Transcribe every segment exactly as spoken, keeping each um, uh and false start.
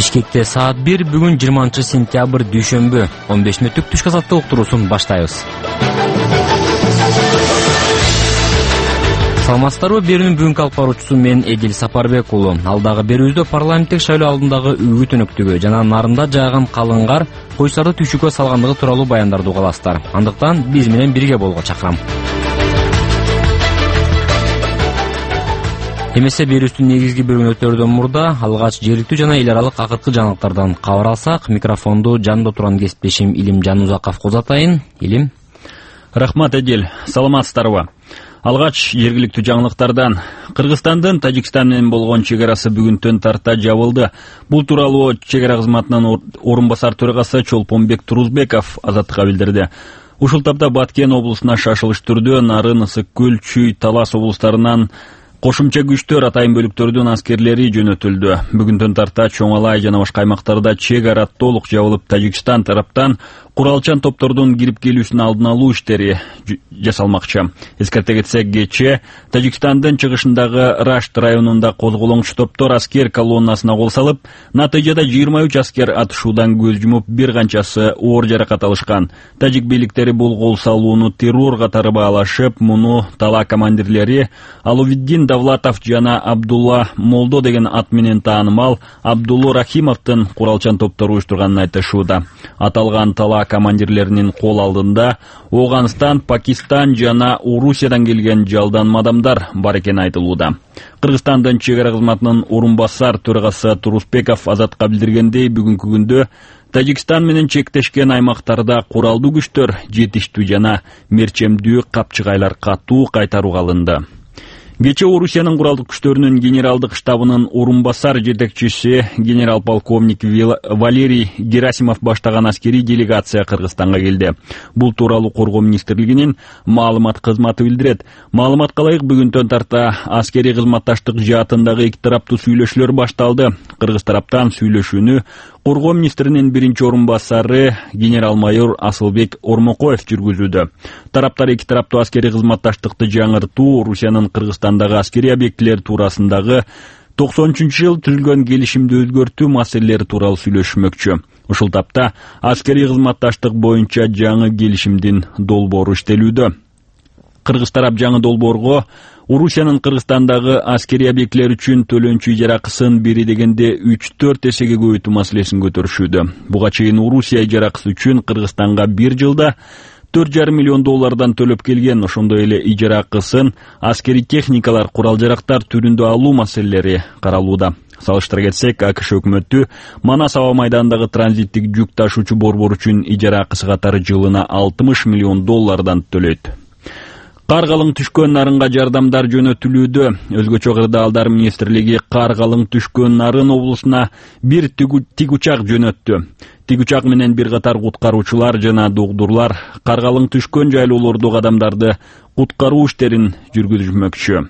Бишкекте саат бир, бүгүн жыйырманчы сентябрь дүйшөмбү, он беш мүнөттүк түшкү азаттык уктуруусун баштайбыз. Саламатсыздарбы? Берүүнүн бүгүнкү алып баруучусу мен Эдил Сапарбек уулу. Алдагы берүүбүздө парламенттик шайлоо алдындагы үгүт өнөктүгү жана нарында жааган калың кар койчуларды түйшүккө салгандыгы тууралуу баяндарды угаласыздар. Андыктан биз менен бирге болууга чакырам. Эмесе берүүбүздүн негизги бөлүгүн өтөрдөн мурда алгач жергиликтүү жана эл аралык акыркы жаңылыктардан кабар алсак, микрофонду жанында турган кесиптешим Илим Жанузаков козотайын. Илим. Рахмат, Эдил. Саламатсыздарбы? Алгач жергиликтүү жаңылыктардан Кыргызстандын Тажикстан менен болгон чек арасы бүгүнтөн тарта жабылды. Бул тууралуу чек ара кызматынын орун басар төрагасы Чолпонбек Турузбеков Азаттыкка билдирди. Ушул тапта Баткен облусуна шашылыш түрдө Нарын, Ысык көл, Чүй, Талас облустарынан кошумча күчтөр, атайын бөлүктөрдүн аскерлери жөнөтүлдү. Бүгүнтөн тарта Чоң Алай жана башка аймактарда чек ара толук жабылып, Тажикстан тараптан куралчан топтордун кирип келүүсүн алдын алуу иштери жасалмакчы. Эскерте кетсек, кечээ Тажикстандын чыгышындагы Рашт районунда козголоңчу топтор аскер колоннасына кол салып, натыйжада жыйырма үч аскер атышуудан көз жумуп, бир канчасы оор жаракат алышкан. Тажик бийликтери бул кол салууну террор катары баалашып, муну тала командирлери Алувиддин Давлатов жана Абдулла Молдо деген ат менен таанымал Абдулла Рахимовдун куралчан топтору уюштурганын айтышууда. Аталган тала командирлеринин кол алдында Оганстан, Пакистан жана Орусиядан келген жалдан адамдар бар экени айтылууда. Кыргызстандын чек ара кызматынын орун басар төрагасы Турузбеков Азатка билдиргендей, бүгүнкү күндө Тажикстан менен чектешкен аймактарда куралдуу күчтөр жетиштүү жана мерчемдүү капчыгайлар катуу кайтарууга алынды. Кечээ Орусиянын куралдык күчтөрүнүн генералдык штабынын орун басар жетекчиси генерал-полковник Валерий Герасимов баштаган аскерий делегация Кыргызстанга келди. Бул тууралуу Коргоо министрлигинин маалымат кызматы билдирет. Маалыматка ылайык, бүгүнтөн тарта аскерий кызматташтык жаатындагы эки тараптуу сүйлөшүүлөр башталды. Кыргыз тараптан сүйлөшүүнү Коргоо министринин биринчи орун басары генерал-майор Асылбек Ормокоев жүргүзүүдө. Тараптар эки тараптуу аскерий кызматташтыкты жаңыртуу, Орусиянын Кыргызстандагы аскерий объектилер туурасындагы токсонунчу жыл түзүлгөн келишимди өзгөртүү маселелери тууралуу сүйлөшмөкчү. Ушул тапта аскерий кызматташтык боюнча жаңы келишимдин долбоору иштелүүдө. Кыргыз тарап жаңы долбоорго Орусиянын Кыргызстандагы аскерий объектилер үчүн төлөнчү ижаракысын бери дегенде үч төрт эсеге көбөйтүү маселесин көтөрүшүүдө. Буга чейин Орусия ижаракысы үчүн Кыргызстанга бир жылда төрт жарым миллион доллардан төлөп келген. Ошондой эле ижаракысын аскерий техникалар, курал жарактар түрүндө алуу маселелери каралууда. Салыштыра кетсек, АКШ өкмөтү Манас аба майданындагы транзиттик жүк ташуучу борбор үчүн ижаракысы катары жылына алтымыш миллион доллардан төлөйт. Кар калың түшкөн нарынга жардамдар жөнөтүлүүдө. Өзгөчө кырдаалдар министрлиги кар калың түшкөн Нарын облусуна бир тик учак жөнөттү. Тик учак менен бир катар куткаруучулар жана догдурлар кар калың түшкөн жайлоолордогу адамдарды куткаруу иштерин жүргүзмөкчү.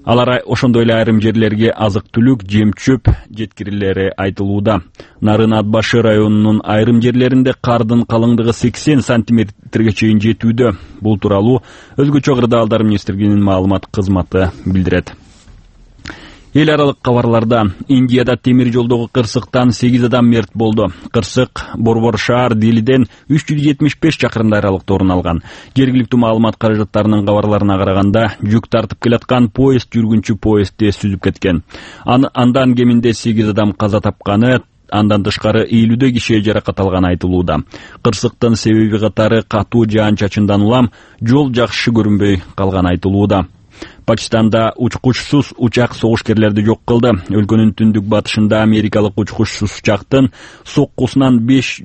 Алар ошондой эле айрым жерлерге азык-түлүк, жем-чөп жеткирилери айтылууда. Нарын Ат башы районунун айрым жерлеринде кардын калыңдыгы сексен сантиметрге чейин жетүүдө. Бул тууралуу Өзгөчө кырдаалдар министрлигинин маалымат кызматы билдирет. Эл аралык кабарларда Индияда темир жолдогу кырсыктан сегиз адам мерт болду. Кырсык Борбор шаар Делиден үч жүз жетимиш беш чакырым аралыкта орун алган. Жергиликтүү маалымат каражаттарынын кабарларына караганда, жүк тартып келаткан поезд жүргүнчү поездди сүзүп кеткен. Андан кеминде сегиз адам каза тапканы, андан тышкары элүүдөй киши жаракат алганы айтылууда. Кырсыктын себеби катары катуу жаан-чачындан улам жол жакшы көрүнбөй калганы айтылууда. Пакистанда учкучсуз учак согушкерлерди жок кылды. Өлкөнүн түндүк батышында америкалык учкучсуз учактын соккусунан беш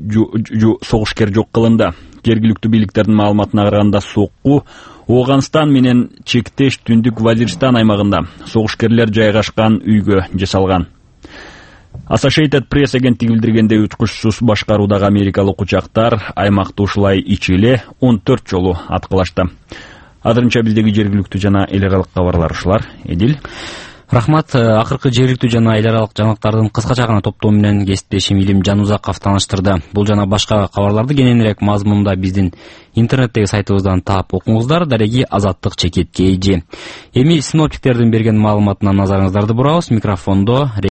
согушкер жок кылынды. Жергиликтүү бийликтердин маалыматына караганда, сокку Оганстан менен чектеш түндүк Вазиристан аймагында согушкерлер жайгашкан үйгө жасалган. Associated Press агенттиги билдиргендей, учкучсуз башкаруудагы америкалык учактар аймакты ушулай ичи эле он төрт жолу аткылашты. Азырынча биздеги жергиликтүү жана эл аралык кабарлар ушулар. Эдил. Рахмат. Акыркы жергиликтүү жана эл аралык жаңылыктардын кыскача гана топтоо менен кесиптешим Илим Жанузаков тааныштырды. Бул жана башка кабарларды кененирээк мазмунда биздин интернеттеги сайтыбыздан таап окуңуздар. Дареги Азаттык чекит кей жи. Эми синоптиктердин берген маалыматына назарыңыздарды бурабыз. Микрофондо